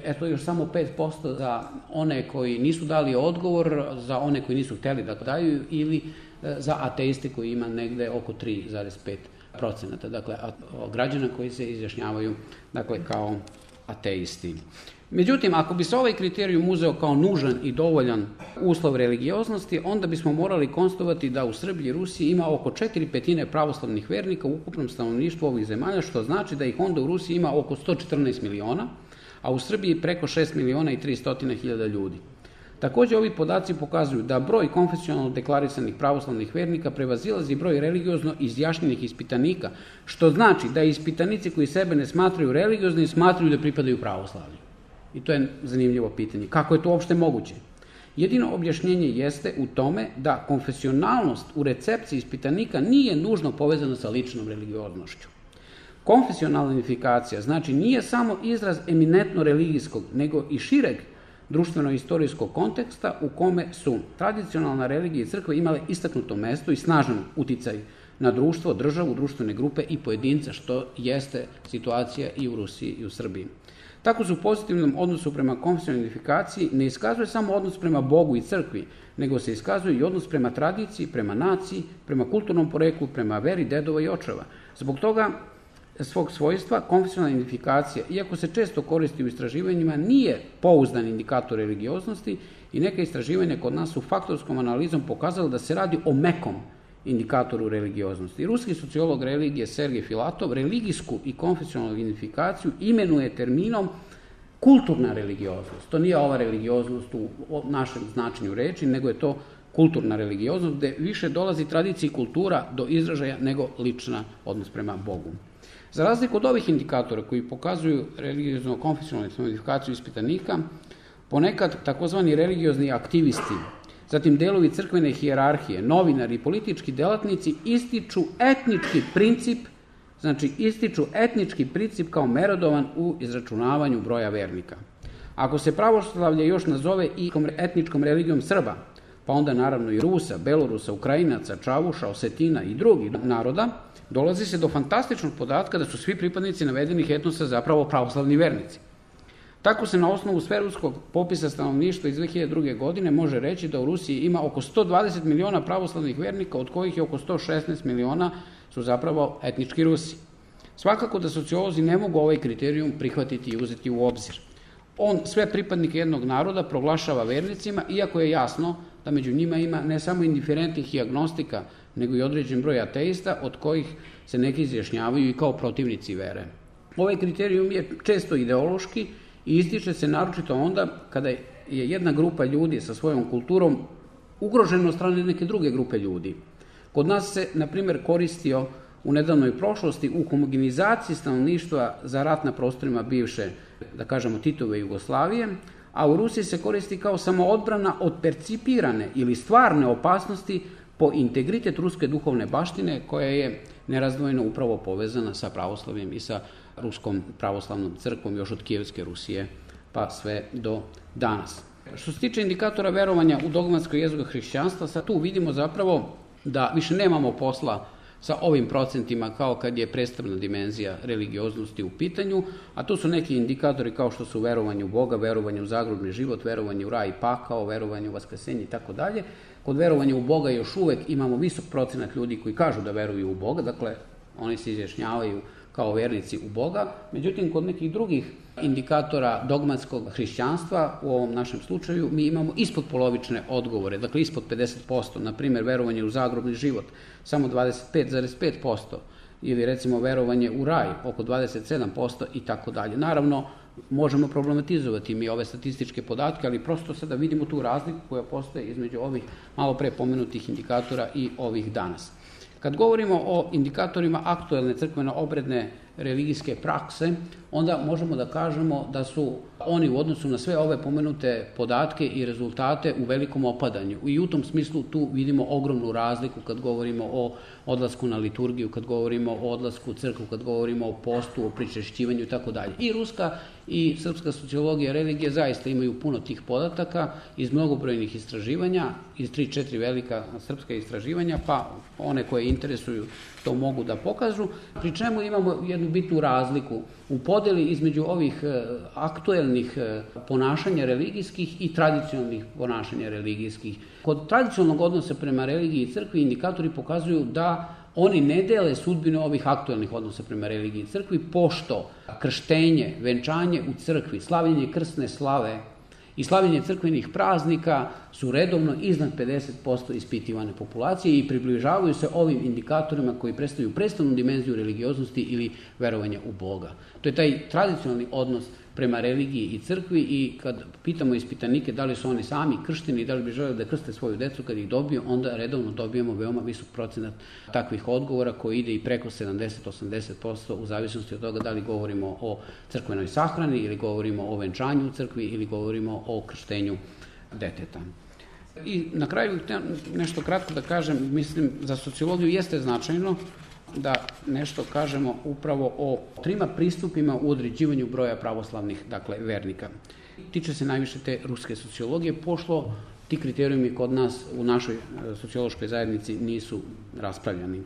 eto još samo pet posto za one koji nisu dali odgovor, za one koji nisu hteli da daju, ili za ateiste koji ima negde oko tri zarez pet procenata, dakle građana koji se izjašnjavaju dakle, kao ateisti. Međutim, ako bi se ovaj kriterijum uzeo kao nužan i dovoljan uslov religioznosti, onda bismo morali konstatovati da u Srbiji i Rusiji ima oko četiri petine pravoslavnih vernika u ukupnom stanovništvu ovih zemalja, što znači da ih onda u Rusiji ima oko sto četrnaest miliona, a u Srbiji preko šest miliona i tristo hiljada ljudi. Također, ovi podaci pokazuju da broj konfesionalno deklarisanih pravoslavnih vernika prevazilazi broj religiozno izjašnjenih ispitanika, što znači da ispitanici koji sebe ne smatraju religioznim smatraju da pripadaju pravoslavlju. I to je zanimljivo pitanje. Kako je to uopšte moguće? Jedino objašnjenje jeste u tome da konfesionalnost u recepciji ispitanika nije nužno povezana sa ličnom religioznošću. Konfesionalna identifikacija znači nije samo izraz eminentno religijskog, nego i šireg društveno-istorijskog konteksta u kome su tradicionalna religija i crkva imale istaknuto mesto i snažan uticaj na društvo, državu, društvene grupe i pojedinca, što jeste situacija i u Rusiji i u Srbiji. Tako se u pozitivnom odnosu prema konfesionalnoj identifikaciji ne iskazuje samo odnos prema Bogu i crkvi, nego se iskazuje i odnos prema tradiciji, prema naciji, prema kulturnom poreklu, prema veri dedova i očeva. Zbog toga svog svojstva konfesionalna identifikacija, iako se često koristi u istraživanjima, nije pouzdan indikator religioznosti i neka istraživanja kod nas su faktorskom analizom pokazala da se radi o mekom indikatoru religioznosti. Ruski sociolog religije Sergej Filatov religijsku i konfesionalnu identifikaciju imenuje terminom kulturna religioznost. To nije ova religioznost u našem značenju reči, nego je to kulturna religioznost, gde više dolazi tradicija i kultura do izražaja nego lična odnos prema Bogu. Za razliku od ovih indikatora koji pokazuju religiozno-konfesionalnu identifikaciju ispitanika, ponekad takozvani religiozni aktivisti, zatim delovi crkvene hijerarhije, novinari i politički delatnici ističu etnički princip, znači ističu etnički princip kao merodovan u izračunavanju broja vernika. Ako se pravoslavlje još nazove i etničkom religijom Srba, pa onda naravno i Rusa, Belorusa, Ukrajinaca, Čavuša, Osetina i drugih naroda, dolazi se do fantastičnog podatka da su svi pripadnici navedenih etnosa zapravo pravoslavni vernici. Tako se na osnovu sveruskog popisa stanovništva iz dve hiljade druge. godine može reći da u Rusiji ima oko sto dvadeset miliona pravoslavnih vernika, od kojih je oko sto šesnaest miliona su zapravo etnički Rusi. Svakako da sociolozi ne mogu ovaj kriterijum prihvatiti i uzeti u obzir. On sve pripadnike jednog naroda proglašava vernicima, iako je jasno da među njima ima ne samo indiferentnih i agnostika, nego i određen broj ateista, od kojih se neki izjašnjavaju i kao protivnici vere. Ovaj kriterijum je često ideološki i ističe se naročito onda kada je jedna grupa ljudi sa svojom kulturom ugrožena od strane neke druge grupe ljudi. Kod nas se, na primjer, koristio u nedavnoj prošlosti u homogenizaciji stanovništva za rat na prostorima bivše, da kažemo, Titove Jugoslavije, a u Rusiji se koristi kao samoodbrana od percipirane ili stvarne opasnosti po integritet ruske duhovne baštine, koja je nerazdvojno upravo povezana sa pravoslavljem i sa Ruskom pravoslavnom crkvom još od Kijevske Rusije pa sve do danas. Što se tiče indikatora verovanja u dogmatsko jezgro hrišćanstva, sad tu vidimo zapravo da više nemamo posla sa ovim procentima kao kad je predstavna dimenzija religioznosti u pitanju, a tu su neki indikatori kao što su verovanje u Boga, verovanje u zagrobni život, verovanje u raj i pakao, verovanje u vaskrsenje i tako dalje. Kod verovanja u Boga još uvek imamo visok procenat ljudi koji kažu da veruju u Boga, dakle oni se izjašnjavaju kao vernici u Boga. Međutim, kod nekih drugih indikatora dogmatskog hrišćanstva, u ovom našem slučaju, mi imamo ispod polovične odgovore, dakle ispod pedeset posto, na primjer verovanje u zagrobni život, samo dvadeset pet zarez pet posto, ili recimo verovanje u raj, oko dvadeset sedam posto i tako dalje. Naravno, možemo problematizovati mi ove statističke podatke, ali prosto sada vidimo tu razliku koja postoje između ovih malo pre pomenutih indikatora i ovih danas. Kad govorimo o indikatorima aktuelne crkveno-obredne religijske prakse, onda možemo da kažemo da su oni u odnosu na sve ove pomenute podatke i rezultate u velikom opadanju. I u tom smislu tu vidimo ogromnu razliku kad govorimo o odlasku na liturgiju, kad govorimo o odlasku u crkvu, kad govorimo o postu, o pričešćivanju i tako dalje. I ruska i srpska sociologija religije zaista imaju puno tih podataka iz mnogobrojnih istraživanja, iz tri četiri velika srpska istraživanja, pa one koje interesuju to mogu da pokažu, pri čemu imamo jednu bitnu razliku u podeli između ovih aktuelnih ponašanja religijskih i tradicionalnih ponašanja religijskih. Kod tradicionalnog odnosa prema religiji i crkvi indikatori pokazuju da oni ne dele sudbinu ovih aktuelnih odnosa prema religiji i crkvi, pošto krštenje, venčanje u crkvi, slavljenje krsne slave i slavljenje crkvenih praznika su redovno iznad pedeset posto ispitivane populacije i približavaju se ovim indikatorima koji predstavljaju predstavnu dimenziju religioznosti ili verovanja u Boga. To je taj tradicionalni odnos prema religiji i crkvi i kad pitamo ispitanike da li su oni sami kršteni i da li bi želeli da krste svoju decu, kad ih dobiju, onda redovno dobijemo veoma visok procenat takvih odgovora koji ide i preko sedamdeset do osamdeset posto u zavisnosti od toga da li govorimo o crkvenoj sahrani ili govorimo o venčanju u crkvi ili govorimo o krštenju deteta. I na kraju nešto kratko da kažem, mislim za sociologiju jeste značajno da nešto kažemo upravo o trima pristupima u određivanju broja pravoslavnih, dakle, vernika. Tiče se najviše te ruske sociologije, pošto ti kriterijumi kod nas u našoj sociološkoj zajednici nisu raspravljani.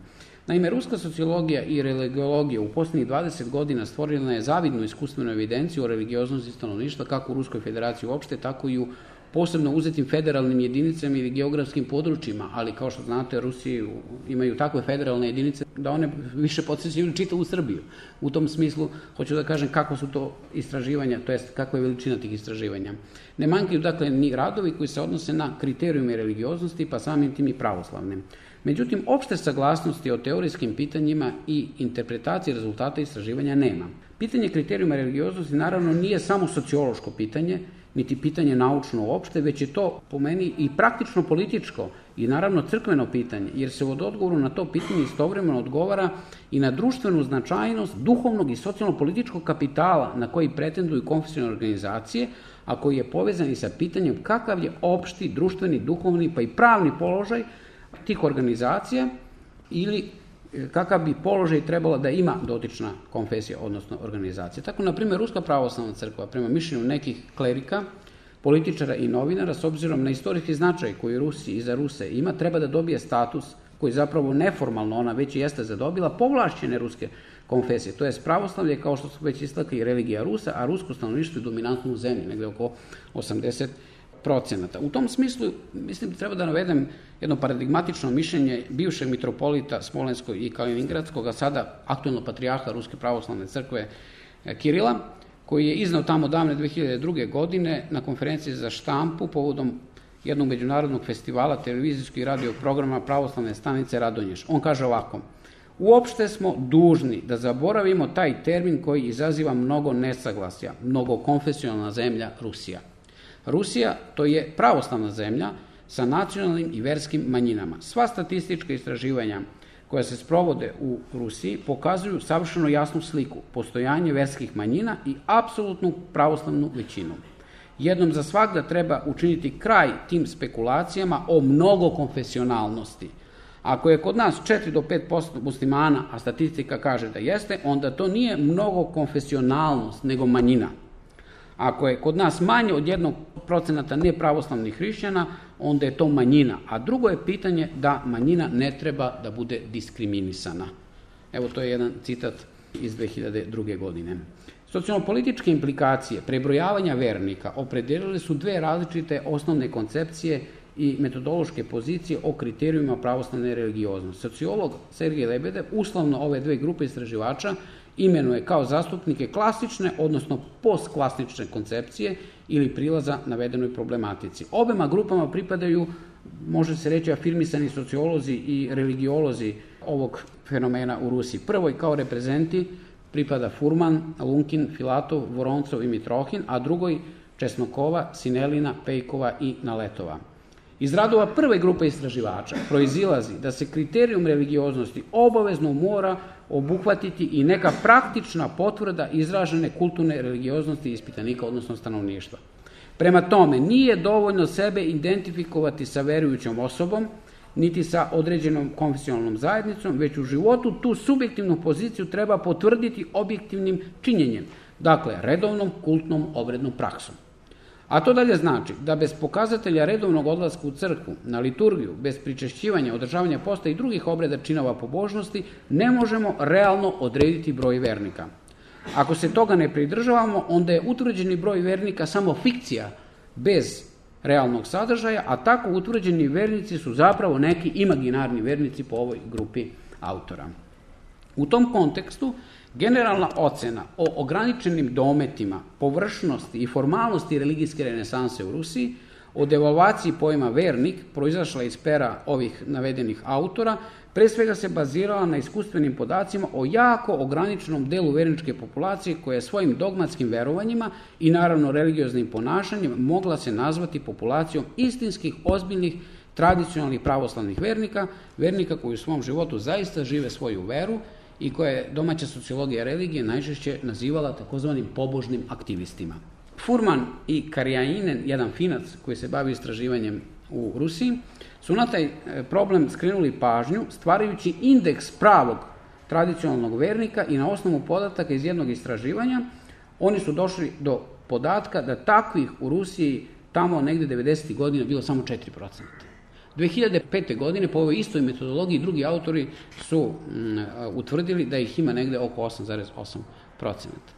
Naime, ruska sociologija i religiologija u posljednjih dvadeset godina stvorila je zavidnu iskustvenu evidenciju o religioznosti stanovništva kako u Ruskoj federaciji uopšte, tako i u posebno uzetim federalnim jedinicama ili geografskim područjima, ali kao što znate, Rusi imaju takve federalne jedinice da one više podsjećaju čitavu Srbiju. U tom smislu, hoću da kažem kako su to istraživanja, to jest kakva je veličina tih istraživanja. Ne manjkaju, dakle, ni radovi koji se odnose na kriterijume religioznosti, pa samim tim i pravoslavne. Međutim, opšte saglasnosti o teorijskim pitanjima i interpretaciji rezultata istraživanja nema. Pitanje kriterijuma religioznosti naravno nije samo sociološko pitanje, niti pitanje naučno uopšte, već je to po meni i praktično političko i naravno crkveno pitanje, jer se od odgovoru na to pitanje istovremeno odgovara i na društvenu značajnost duhovnog i socijalno-političkog kapitala na koji pretenduju konfesionalne organizacije, a koji je povezan i sa pitanjem kakav je opšti, društveni, duhovni pa i pravni položaj tih organizacija ili kakav bi položaj trebala da ima dotična konfesija, odnosno organizacija. Tako, na primjer, Ruska pravoslavna crkva, prema mišljenju nekih klerika, političara i novinara, s obzirom na istorijski značaj koji Rusi i za Ruse ima, treba da dobije status koji zapravo neformalno ona već i jeste zadobila, povlašćene ruske konfesije. To je pravoslavlje, kao što su već istakli, religija Rusa, a rusko stanovništvo je dominantno u zemlji, negde oko osamdeset procenata. U tom smislu, mislim, treba da navedem jedno paradigmatično mišljenje bivšeg mitropolita Smolenskog i Kaliningradskog, a sada aktuelno patrijarha Ruske pravoslavne crkve Kirila, koji je iznao tamo davne dve hiljade druge. godine na konferenciji za štampu povodom jednog međunarodnog festivala televizijskog i radio programa Pravoslavne stanice Radonjiš. On kaže ovako: uopšte smo dužni da zaboravimo taj termin koji izaziva mnogo nesaglasja, mnogo konfesionalna zemlja Rusija. Rusija, to je pravoslavna zemlja sa nacionalnim i verskim manjinama. Sva statistička istraživanja koja se sprovode u Rusiji pokazuju savršeno jasnu sliku, postojanje verskih manjina i apsolutnu pravoslavnu većinu. Jednom za svagda treba učiniti kraj tim spekulacijama o mnogokonfesionalnosti. Ako je kod nas četiri do pet posto muslimana, a statistika kaže da jeste, onda to nije mnogokonfesionalnost, nego manjina. Ako je kod nas manje od jednog procenata nepravoslavnih hrišćana, onda je to manjina. A drugo je pitanje da manjina ne treba da bude diskriminisana. Evo, to je jedan citat iz dve hiljade druge. godine. Socijalno-političke implikacije prebrojavanja vernika opredelile su dve različite osnovne koncepcije i metodološke pozicije o kriterijuma pravoslavne religioznosti. Sociolog Sergej Lebedev uslovno ove dve grupe istraživača imenuje kao zastupnike klasične, odnosno postklasične koncepcije ili prilaza navedenoj problematici. Obema grupama pripadaju, može se reći, afirmisani sociolozi i religiolozi ovog fenomena u Rusiji. Prvoj kao reprezenti pripada Furman, Lunkin, Filatov, Voroncov i Mitrohin, a drugoj Česnokova, Sinelina, Pejkova i Naletova. Iz radova prve grupe istraživača proizilazi da se kriterijum religioznosti obavezno mora obuhvatiti i neka praktična potvrda izražene kulturne religioznosti ispitanika, odnosno stanovništva. Prema tome, nije dovoljno sebe identifikovati sa verujućom osobom, niti sa određenom konfesionalnom zajednicom, već u životu tu subjektivnu poziciju treba potvrditi objektivnim činjenjem, dakle redovnom kultnom obrednom praksom. A to dalje znači da bez pokazatelja redovnog odlaska u crkvu, na liturgiju, bez pričešćivanja, održavanja posta i drugih obreda činova pobožnosti, ne možemo realno odrediti broj vernika. Ako se toga ne pridržavamo, onda je utvrđeni broj vernika samo fikcija bez realnog sadržaja, a tako utvrđeni vernici su zapravo neki imaginarni vernici po ovoj grupi autora. U tom kontekstu, generalna ocena o ograničenim dometima, površnosti i formalnosti religijske renesanse u Rusiji, o devalvaciji pojma vernik, proizašla iz pera ovih navedenih autora, pre svega se bazirala na iskustvenim podacima o jako ograničenom delu verničke populacije koja je svojim dogmatskim verovanjima i naravno religioznim ponašanjem mogla se nazvati populacijom istinskih, ozbiljnih, tradicionalnih pravoslavnih vernika, vernika koji u svom životu zaista žive svoju veru i koje je domaća sociologija religije najčešće nazivala takozvanim pobožnim aktivistima. Furman i Karjainen, jedan Finac koji se bavi istraživanjem u Rusiji, su na taj problem skrenuli pažnju stvarajući indeks pravog tradicionalnog vernika i na osnovu podataka iz jednog istraživanja oni su došli do podatka da takvih u Rusiji tamo negde devedesetih godina bilo samo četiri procenta. dve hiljade pete. godine po ovoj istoj metodologiji drugi autori su mm, utvrdili da ih ima negde oko osam zarez osam procenta.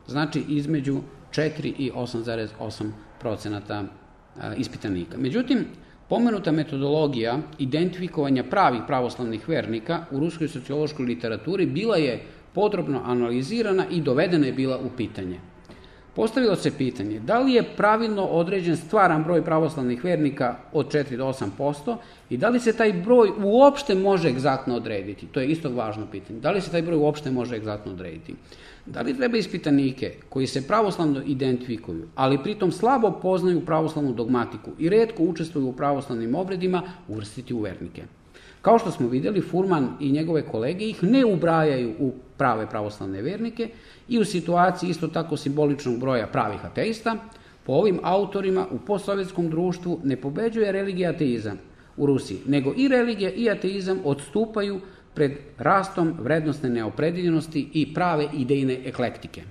Znači između četiri i osam zarez osam procenta ispitanika. Međutim, pomenuta metodologija identifikovanja pravih pravoslavnih vernika u ruskoj sociološkoj literaturi bila je podrobno analizirana i dovedena je bila u pitanje. Postavilo se pitanje da li je pravilno određen stvaran broj pravoslavnih vernika od četiri do osam posto i da li se taj broj uopšte može egzaktno odrediti. To je isto važno pitanje. Da li se taj broj uopšte može egzaktno odrediti? Da li treba ispitanike koji se pravoslavno identifikuju, ali pritom slabo poznaju pravoslavnu dogmatiku i retko učestvuju u pravoslavnim obredima, uvrstiti u vernike? Kao što smo vidjeli, Furman i njegove kolege ih ne ubrajaju u prave pravoslavne vernike i u situaciji isto tako simboličnog broja pravih ateista, po ovim autorima u postsovjetskom društvu ne pobeđuje religija ateizam u Rusiji, nego i religija i ateizam odstupaju pred rastom vrednostne neopredeljenosti i prave idejne eklektike.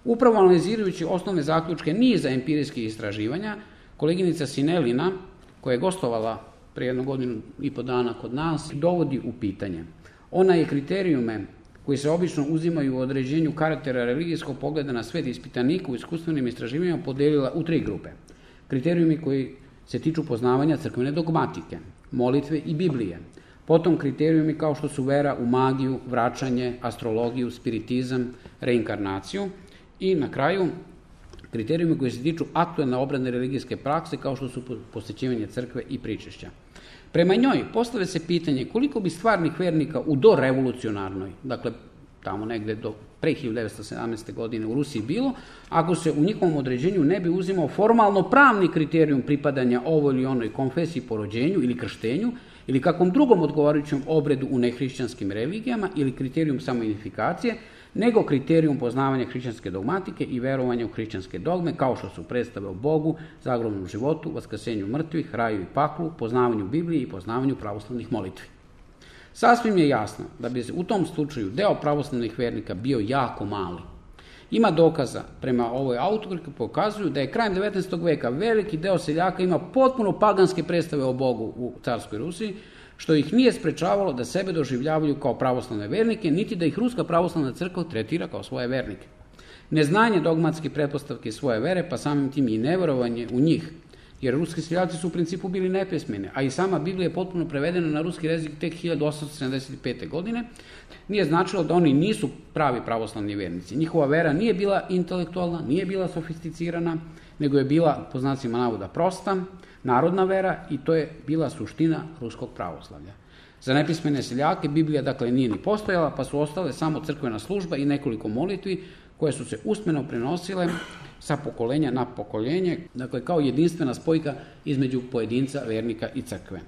Upravo analizirajući osnovne zaključke niza empirijskih istraživanja, koleginica Sinelina, koja je gostovala pre jednu godinu i po dana kod nas, dovodi u pitanje. Ona je kriterijume koji se obično uzimaju u određenju karaktera religijskog pogleda na svet ispitanika u iskustvenim istraživanjima podelila u tri grupe. Kriterijumi koji se tiču poznavanja crkvene dogmatike, molitve i Biblije, potom kriterijumi kao što su vera u magiju, vraćanje, astrologiju, spiritizam, reinkarnaciju i na kraju kriterijumi koji se tiču aktuelne obradne religijske prakse kao što su posjećivanje crkve i pričešća. Prema njoj postavlja se pitanje koliko bi stvarnih vernika u dorevolucionarnoj, dakle tamo negde do pre hiljadu devetsto sedamnaeste. godine u Rusiji bilo, ako se u njihovom određenju ne bi uzimao formalno pravni kriterijum pripadanja ovoj ili onoj konfesiji po rođenju ili krštenju, ili kakvom drugom odgovarajućem obredu u nehrišćanskim religijama ili kriterijum samoidentifikacije, nego kriterijum poznavanja hrišćanske dogmatike i verovanja u hrišćanske dogme, kao što su predstave o Bogu, zagrobnom životu, vaskrsenju mrtvih, raju i paklu, poznavanju Biblije i poznavanju pravoslavnih molitvi. Sasvim je jasno da bi u tom slučaju deo pravoslavnih vernika bio jako mali. Ima dokaza prema ovoj autorki pokazuju da je krajem devetnaestog. veka veliki deo seljaka ima potpuno paganske predstave o Bogu u carskoj Rusiji, što ih nije sprečavalo da sebe doživljavaju kao pravoslavne vernike, niti da ih Ruska pravoslavna crkva tretira kao svoje vernike. Neznanje dogmatske pretpostavke svoje vere, pa samim tim i neverovanje u njih, jer ruski seljaci su u principu bili nepismeni, a i sama Biblija je potpuno prevedena na ruski jezik tek hiljadu osamsto sedamdeset pete. godine, nije značilo da oni nisu pravi pravoslavni vernici. Njihova vera nije bila intelektualna, nije bila sofisticirana, nego je bila, po znacima navoda, prosta, narodna vera i to je bila suština ruskog pravoslavlja. Za nepismene seljake Biblija dakle nije ni postojala, pa su ostale samo crkvena služba i nekoliko molitvi koje su se usmeno prenosile sa pokolenja na pokoljenje, dakle kao jedinstvena spojka između pojedinca, vernika i crkve.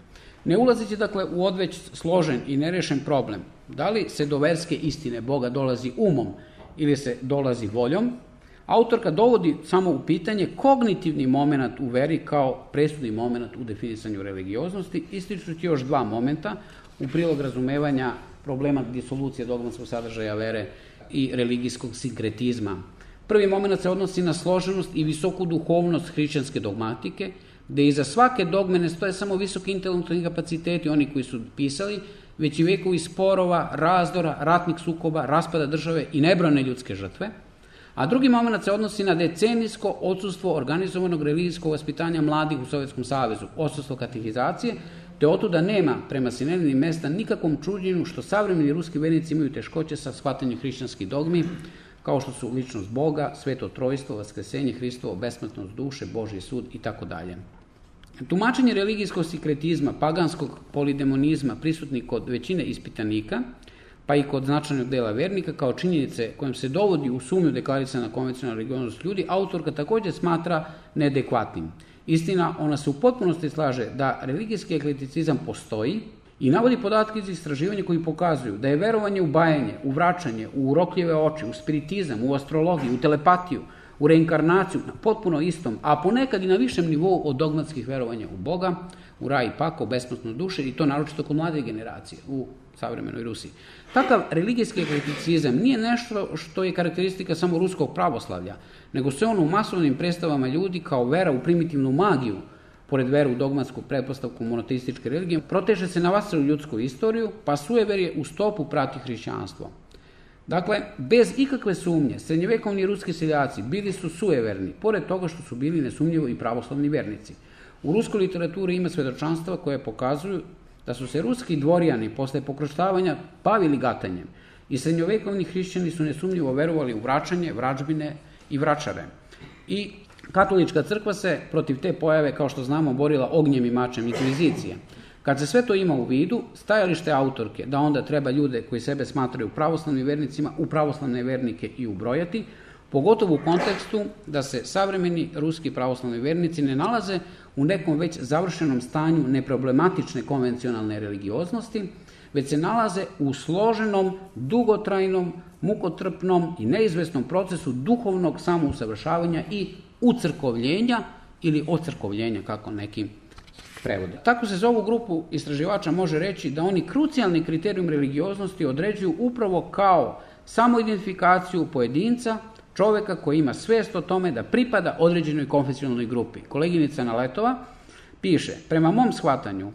Ne ulazeći dakle u odveć složen i nerešen problem, da li se do verske istine Boga dolazi umom ili se dolazi voljom, autorka dovodi samo u pitanje kognitivni moment u veri kao presudni moment u definisanju religioznosti, ističući još dva momenta u prilog razumevanja problema disolucije dogmatskog sadržaja vere i religijskog sinkretizma. Prvi moment se odnosi na složenost i visoku duhovnost hrišćanske dogmatike, gde iza svake dogme ne stoje samo visoki intelektualni kapaciteti, oni koji su pisali, već i vekovi sporova, razdora, ratnih sukoba, raspada države i nebrojne ljudske žrtve. A drugi moment se odnosi na decenijsko odsustvo organizovanog religijskog vaspitanja mladih u Sovjetskom savezu, odsustvo katehizacije, te otuda nema prema Sinelini mesta nikakvom čuđenju što savremeni ruski vernici imaju teškoće sa shvatanjem hrišćanskih dogmi, kao što su ličnost Boga, sveto trojstvo, vaskrsenje Hristovo, besmrtnost duše, Božji sud i tako dalje. Tumačenje religijskog sinkretizma, paganskog polidemonizma prisutni kod većine ispitanika, pa i kod značajnog dela vernika, kao činjenice kojom se dovodi u sumnju deklarisana konvencionalna religioznost ljudi, autorka također smatra neadekvatnim. Istina, ona se u potpunosti slaže da religijski ekleticizam postoji i navodi podatke iz istraživanja koji pokazuju da je verovanje u bajanje, u vraćanje, u urokljive oči, u spiritizam, u astrologiju, u telepatiju, u reinkarnaciju na potpuno istom, a ponekad i na višem nivou od dogmatskih verovanja u Boga, u raj i pakao, besmrtnu duše, i to naročito kod mlade generacije u savremenoj Rusiji. Takav religijski ekleticizam nije nešto što je karakteristika samo ruskog pravoslavlja, nego se on u masovnim predstavama ljudi kao vera u primitivnu magiju, pored veru u dogmatsku pretpostavku monoteističke religije, proteže se na vasalu ljudsku istoriju, pa sujeverje u stopu prati hrišćanstvo. Dakle, bez ikakve sumnje, srednjevekovni ruski seljaci bili su sujeverni, pored toga što su bili nesumnjivo i pravoslavni vernici. U ruskoj literaturi ima svedočanstva koje pokazuju da su se ruski dvorijani posle pokroštavanja bavili gatanjem i srednjovekovni hrišćani su nesumnjivo verovali u vraćanje, vrađbine i vračare. I katolička crkva se protiv te pojave, kao što znamo, borila ognjem i mačem inkvizicije. Kad se sve to ima u vidu, stajalište autorke da onda treba ljude koji sebe smatraju pravoslavnim vernicima u pravoslavne vernike i ubrojati, pogotovo u kontekstu da se savremeni ruski pravoslavni vernici ne nalaze u nekom već završenom stanju neproblematične konvencionalne religioznosti, već se nalaze u složenom, dugotrajnom, mukotrpnom i neizvesnom procesu duhovnog samousavršavanja i ucrkovljenja ili ocrkovljenja, kako neki prevode. Tako se za ovu grupu istraživača može reći da oni krucijalni kriterijum religioznosti određuju upravo kao samoidentifikaciju pojedinca, čoveka koji ima svest o tome da pripada određenoj konfesionalnoj grupi. Koleginica Naletova piše, prema mom shvatanju,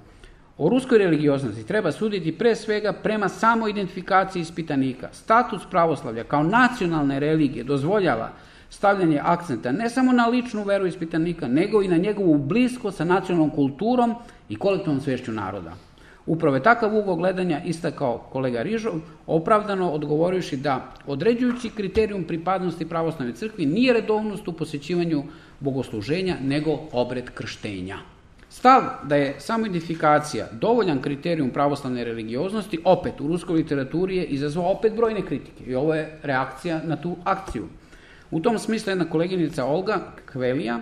o ruskoj religioznosti treba suditi pre svega prema samoidentifikaciji ispitanika. Status pravoslavlja kao nacionalne religije dozvoljava stavljanje akcenta ne samo na ličnu veru ispitanika, nego i na njegovu bliskost sa nacionalnom kulturom i kolektivnom svešću naroda. Upravo je takav ugao gledanja istakao kolega Rižov, opravdano odgovorivši da određujući kriterijum pripadnosti pravoslavnoj crkvi nije redovnost u posjećivanju bogosluženja, nego obred krštenja. Stav da je samoidentifikacija dovoljan kriterijum pravoslavne religioznosti, opet u ruskoj literaturi je izazvao opet brojne kritike i ovo je reakcija na tu akciju. U tom smislu jedna koleginica Olga Kvelija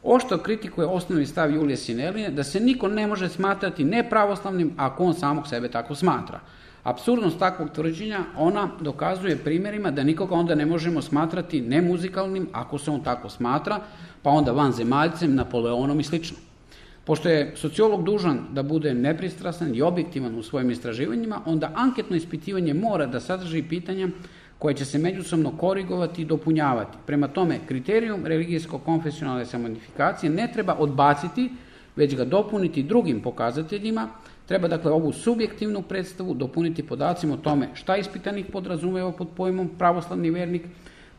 oštro kritikuje osnovni stav Julije Sineline da se niko ne može smatrati nepravoslavnim ako on samog sebe tako smatra. Apsurdnost takvog tvrđenja ona dokazuje primjerima da nikoga onda ne možemo smatrati nemuzikalnim ako se on tako smatra, pa onda vanzemaljcem, Napoleonom i slično. Pošto je sociolog dužan da bude nepristrasan i objektivan u svojim istraživanjima, onda anketno ispitivanje mora da sadrži pitanja koje će se međusobno korigovati i dopunjavati. Prema tome, kriterijum religijsko-konfesionalne samoidentifikacije ne treba odbaciti, već ga dopuniti drugim pokazateljima. Treba dakle ovu subjektivnu predstavu dopuniti podacima o tome šta ispitanik podrazumeva pod pojmom pravoslavni vernik,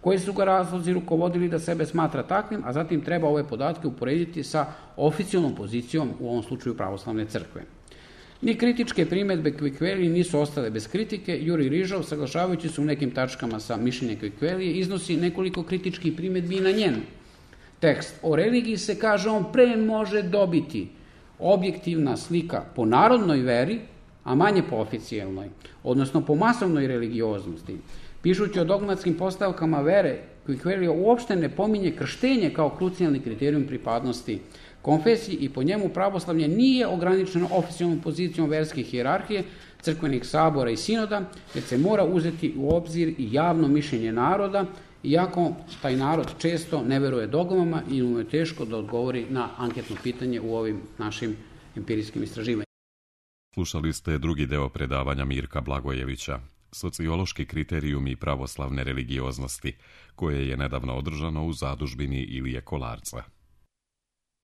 koji su ga razlozi rukovodili da sebe smatra takvim, a zatim treba ove podatke uporediti sa oficijalnom pozicijom, u ovom slučaju pravoslavne crkve. Ni kritičke primjedbe Kvikvelije nisu ostale bez kritike. Jurij Rižov, saglašavajući se u nekim tačkama sa mišljenjem Kvikvelije, iznosi nekoliko kritičkih primjedbi i na njen tekst. O religiji se, kaže on, pre može dobiti objektivna slika po narodnoj veri, a manje po oficijelnoj, odnosno po masovnoj religioznosti. Pišući o dogmatskim postavkama vere, Quequelio uopšte ne pominje krštenje kao krucijalni kriterijum pripadnosti konfesiji i po njemu pravoslavlje nije ograničeno oficijalnom pozicijom verske hijerarhije, crkvenih sabora i sinoda, već se mora uzeti u obzir i javno mišljenje naroda, iako taj narod često ne veruje dogmama i mu je teško da odgovori na anketno pitanje u ovim našim empirijskim istraživanjima. Slušali ste drugi deo predavanja Mirka Blagojevića, Sociološki kriterijumi pravoslavne religioznosti, koje je nedavno održano u zadužbini Ilije Kolarca.